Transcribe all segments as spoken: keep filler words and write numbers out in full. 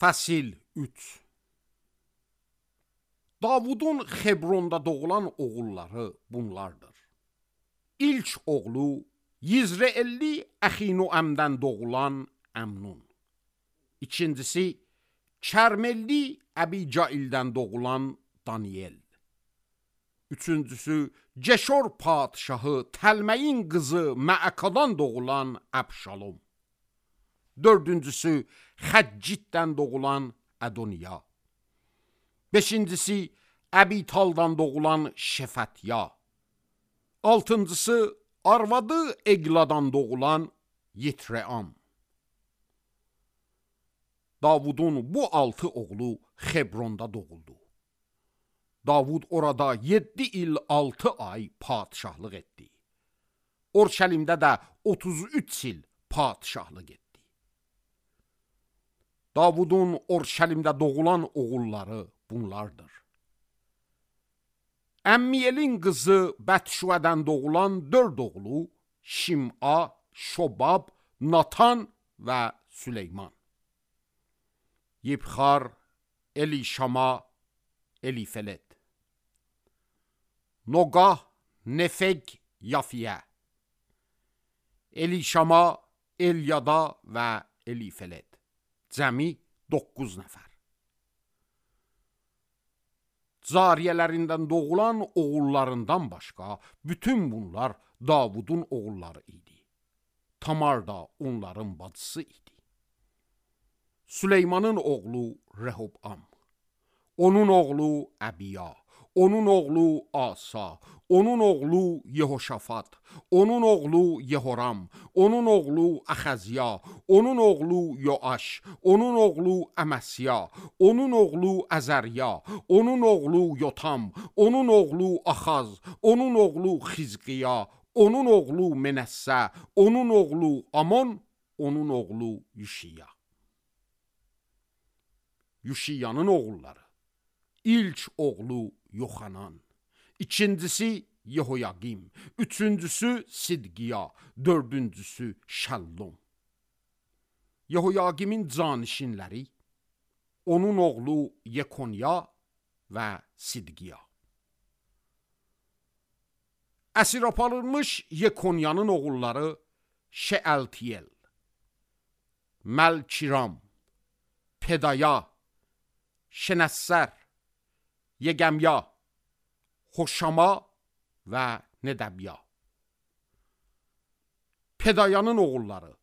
Fəsil üç. Davudun Xebronda doğulan oğulları bunlardır. İlk oğlu Yizreelli Əxinoəmdən doğulan Əmnun. İkincisi Kərmelli Əbicaildən doğulan Daniel. Üçüncüsü Ceşor padşahı Təlməyin qızı Məəkadan doğulan Əbşalom. Dördüncüsü Xəccitdən doğulan Ədoniya. Beşincisi Əbitaldan doğulan Şefətya. Altıncısı arvadı Egladan doğulan Yitream. Davudun bu altı oğlu Xebronda doğuldu. Davud orada yedi il altı ay padişahlıq etdi. Orşəlimdə də otuz üç il padişahlıq etdi. Davudun Orşəlimdə doğulan oğulları bunlardır. Əmmiyelin qızı Bətşüədən doğulan dörd oğlu Şim'a, Şobab, Natan və Süleyman. Yibxar, Elişama, Elifelet. Noqah, Nefeg, Yafiyə. Elişama, Elyada və Elifelet. Cəmi doqquz nəfər. Zariyələrindən doğulan oğullarından başqa bütün bunlar Davudun oğulları idi. Tamar da onların bacısı idi. Süleymanın oğlu Rehobam, onun oğlu Əbiya, onun oğlu Asa, onun oğlu Yehoşafat, onun oğlu Yehoram, onun oğlu Əxəziya, onun oğlu Yoaş, onun oğlu Əməsya, onun oğlu Əzərya, onun oğlu Yotam, onun oğlu Axaz, onun oğlu Xizqiya, onun oğlu Menəssə, onun oğlu Amon, onun oğlu Yüşiya. Yüşiyanın oğulları. İlk oğlu Yoxanan, ikincisi Yehoyaqim, üçüncüsü Sidqiya, dördüncüsü Şəllum. Yehoyaqimin canişinləri, onun oğlu Yekonya və Sidqiya. Əsir aparılmış Yekonyanın oğulları Şeəltiyel, Məlkiram, Pedaya, Şenəssər, Yegemya, Xoşama və Nedəbya. Pedayanın oğulları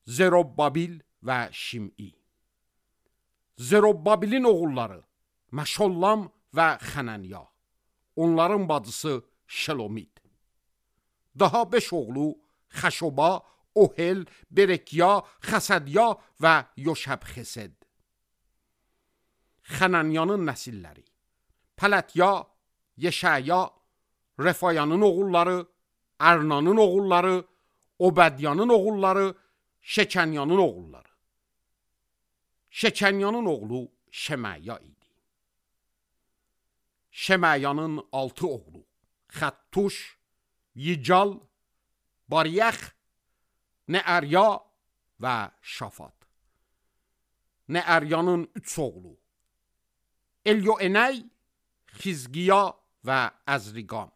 Zerobbabil və Şim'i. Zerobbabilin oğulları Məşollam və Xənənya. Onların bacısı Şelomit. Daha beş oğlu Xəşoba, Ohel, Berekya, Xəsədya və Yoşəb-Xesed. Xənənyanın nəsilləri Pələtya, Yeşəya, Refayanın oğulları, Ərnanın oğulları, Obədyanın oğulları, Şekənyanın oğulları. Şekənyanın oğlu Şeməya idi. Şeməyanın altı oğlu Xəttuş, Yical, Bariyəx, Neərya və Şafat. Neəryanın üç oğlu Elyoenəy, Xizqiya və Əzriqam.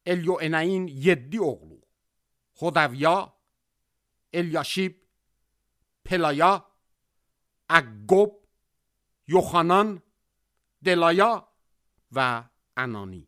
Elyoenəyin yeddi oğlu Xodəvya, Elyaşib, Pelaya, Əqqob, Yoxanan, Delaya və Ənani.